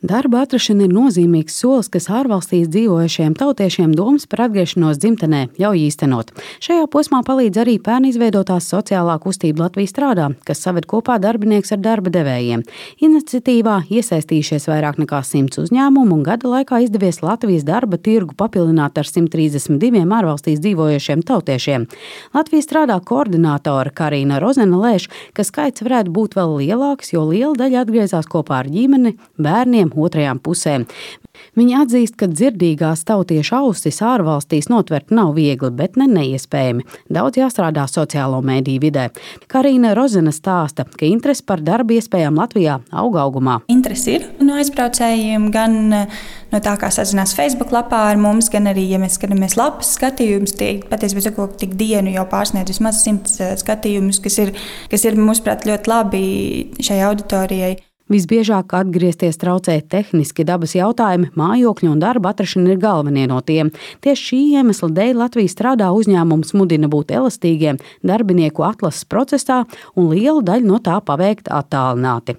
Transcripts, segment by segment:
Darba atrašana ir nozīmīgs solis, kas ārvalstīs dzīvojušiem tautiešiem domas par atgriešanos dzimtenē ļauj īstenot. Šajā posmā palīdz arī pērn izveidotās sociālā kustība Latvija strādā, kas saved kopā darbinieks ar darba devējiem. Iniciatīvā iesaistījušies vairāk nekā 100 uzņēmumu un gada laikā izdevies Latvijas darba tirgu papildināt ar 132 ārvalstīs dzīvojušiem tautiešiem. Latvija strādā koordinātore Karīna Rozena lēš, ka skaits varētu būt vēl lielāks, jo liela daļa atgriezās kopā ar ģimeni, bērniem, otrajām pusēm. Viņi atzīst, ka dzirdīgās tautiešu ausis ārvalstīs notvert nav viegli, bet ne neiespējami. Daudz jāstrādā sociālo mēdīju vidē. Karīna Rozena stāsta, ka interese par darba iespējām Latvijā augumā. Interese ir no aizbraucējiem, gan no tā, kā sazinās Facebook lapā ar mums, gan arī, ja mēs skatāmies lapas skatījumus, tie patiesībā tik dienu jau pārsniedz vismaz 100 skatījumus, kas ir mūsuprāt ļoti labi šai auditorijai. Visbiežāk atgriezties traucē tehniski dabas jautājumi, mājokļu un darba atrašana ir galvenie no tiem. Tieši šī iemesla dēļ Latvija strādā uzņēmums mudina būt elastīgiem darbinieku atlases procesā un lielu daļu no tā paveikt attālināti.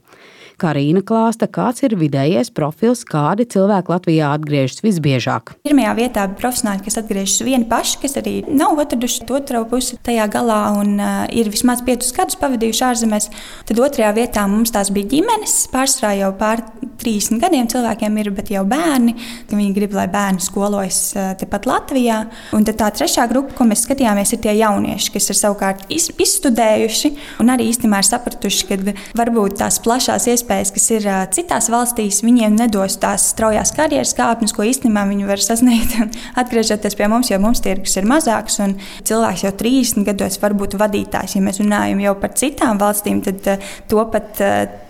Karīna klāsta, kāds ir vidējais profils, kādi cilvēki Latvijā atgriežas visbiežāk. Pirmajā vietā profesionāļi, kas atgriežas vieni paši, kas arī nav atraduši otru pusi tajā galā un ir vismaz 5 gadus pavadījuši ārzemēs. Tad otrajā vietā mums tās bija ģimenes, pārsvarā jau pār 30 gadiem cilvēkiem ir, bet jau bērni. Viņi grib, lai bērni skolojas tepat Latvijā. Un tad tā trešā grupa, ko mēs skatījāmies, ir tie jaunieši, kas ir savukārt izstudējuši un arī īstenībā ir sapratuši, ka varbūt tās plašās iespējas, kas ir citās valstīs, viņiem nedos tās straujās karjeras kāpnes, ko īstenībā viņi var sasniegt atgriežoties pie mums, jo mums tirgus ir mazāks un cilvēks jau 30 gados var būt vadītājs. Ja mēs runājam jau par citām valstīm, tad to pat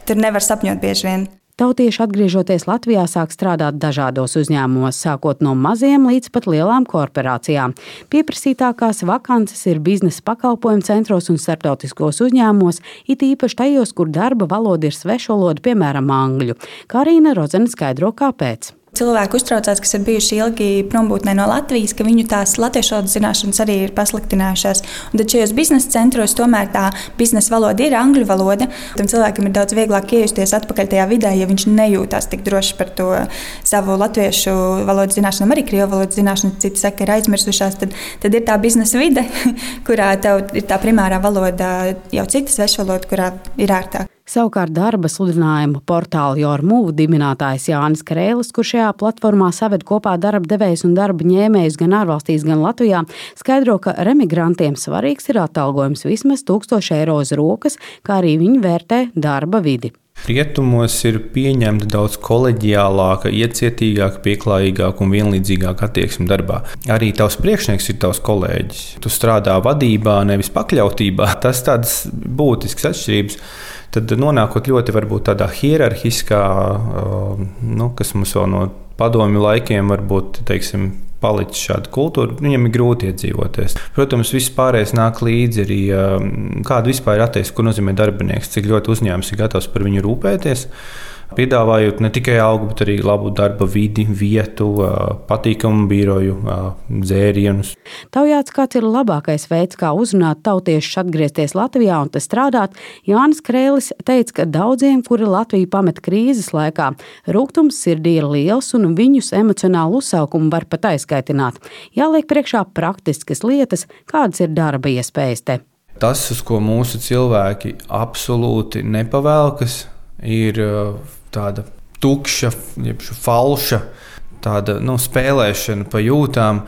tur nevar sapņot bieži vien. Tautieši atgriežoties Latvijā sāk strādāt dažādos uzņēmumos, sākot no maziem līdz pat lielām korporācijām. Pieprasītākās vakances ir biznesa pakalpojumu centros un starptautiskos uzņēmumos, it īpaši tajos, kur darba valoda ir svešvaloda, piemēram, angļu. Karīna Rozena skaidro, kāpēc. Cilvēki uztraucās, kas ir bijuši ilgi prombūtnē no Latvijas, ka viņu tās latviešu valodas zināšanas arī ir pasliktinājušās. Un tad šajos biznesa centros tomēr tā biznesa valoda ir angļu valoda. Tam cilvēkam ir daudz vieglāk iejusties atpakaļ tajā vidē, ja viņš nejūtās tik droši par to savu latviešu valodas zināšanu, arī krievu valodas zināšanu, citi saka, ir aizmirsušās. Tad ir tā biznesa vide, kurā tev ir tā primārā valoda, jau cita svešvaloda, kurā ir ērtāk. Savukārt darba sludinājumu portāla Jormūv dibinātājs Jānis Krēlis, kurš šajā platformā saved kopā darba devējus un darba ņēmējus gan ārvalstīs, gan Latvijā, skaidro, ka remigrantiem svarīgs ir atalgojums vismaz 1000 eiro uz rokas, kā arī viņi vērtē darba vidi. Rietumos ir pieņemta daudz koleģiālāka, iecietīgāka, pieklājīgāka un vienlīdzīgāka attieksme darbā. Arī tavs priekšnieks ir tavs kolēģis. Tu strādā vadībā, nevis pakļautībā. Tas tādas būtiskas atšķirības. Tad nonākot ļoti varbūt tādā hierarhiskā, kas mums vēl no padomju laikiem varbūt, teiksim, palicis šāda kultūra, viņam ir grūti iedzīvoties. Protams, viss pārējais nāk līdzi arī, kāda vispār ir attieksme, ko nozīmē darbinieks, cik ļoti uzņēmums ir gatavs par viņu rūpēties, piedāvājot ne tikai algu, bet arī labu darba vidi, vietu, patīkamu biroju, dzērienus. Taujāts, kāds ir labākais veids, kā uzrunāt tautiešus atgriezties Latvijā un te strādāt, Jānis Krēlis teica, ka daudziem, kuri Latviju pamet krīzes laikā, rūgtums sirdī ir liels un viņus emocionālu uzsaukumu var pat aizskaitināt. Jāliek priekšā praktiskas lietas, kādas ir darba iespējas te. Tas, uz ko mūsu cilvēki absolūti nepavēlkas, ir tāda tukša, falša, tāda spēlēšana pa jūtām.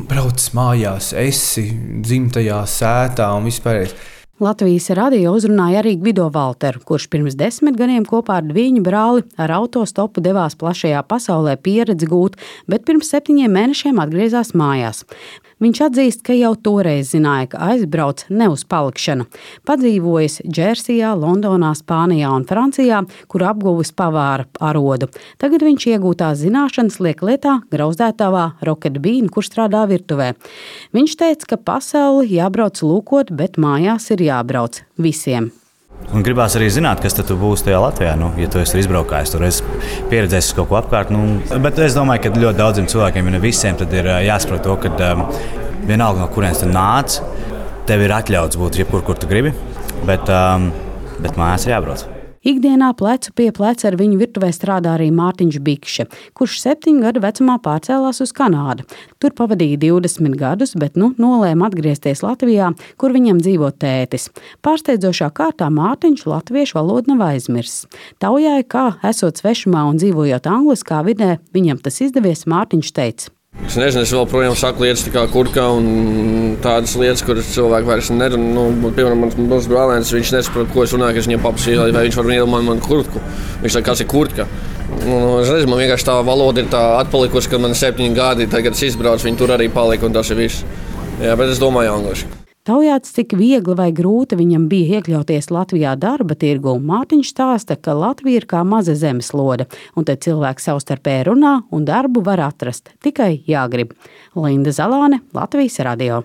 Brauc mājās, esi dzimtajā sētā un vispārējais. Latvijas radio uzrunāja arī Gvido Valteru, kurš pirms 10 gadiem kopā ar viņu brāli ar autostopu devās plašajā pasaulē pieredzi gūt, bet pirms 7 mēnešiem atgriezās mājās. Viņš atzīst, ka jau toreiz zināja, ka aizbrauc ne uz palikšanu. Padzīvojis Džersijā, Londonā, Spānijā un Francijā, kur apguvis pavāra arodu. Tagad viņš iegūtās zināšanas liek lietā grauzdētavā Rocket Bean, kur strādā virtuvē. Viņš teica, ka pasauli jābrauc lūkot, bet mājās ir jābrauc visiem. Un gribās arī zināt, kas tad būs tajā Latvijā, ja tu esi izbraukājis, tur esi pieredzējis kaut ko apkārt. Bet es domāju, ka ļoti daudziem cilvēkiem, ja ne visiem, tad ir jāsaprot to, ka vienalga no kurienes tu nāc, tev ir atļauts būt jebkur, kur tu gribi, bet mājās ir jābrauc. Ikdienā plecu pie pleca ar viņu virtuvē strādā arī Mārtiņš Bikše, kurš 7 gadu vecumā pārcēlās uz Kanādu. Tur pavadīja 20 gadus, bet nolēma atgriezties Latvijā, kur viņam dzīvo tētis. Pārsteidzošā kārtā Mārtiņš latviešu valodu nav aizmirsis. Taujāja, kā esot svešumā un dzīvojot angliskā vidē, viņam tas izdevies, Mārtiņš teica. Es nezinu, es joprojām saku lietas kā kurka un tādas lietas, kuras cilvēki vairs nerunā. Piemēram, mans brālēns, viņš nesaprot, ko es runāju, ka es viņam paprasīju, vai viņš var iedomāt man kurtku. Viņš saka, kas ir kurtka. Es nezinu, man vienkārši tā valoda ir tā atpalikusi, kad man 7 gadi, tagad es izbraucu, viņi tur arī palika un tas ir viss. Jā, bet es domāju angliski. Taujāts, cik viegli vai grūti viņam bija iekļauties Latvijā darba tirgu, Mārtiņš stāsta, ka Latvija ir kā maza zemeslode, un te cilvēki savstarpēji runā un darbu var atrast, tikai jāgrib. Linda Zalāne, Latvijas radio.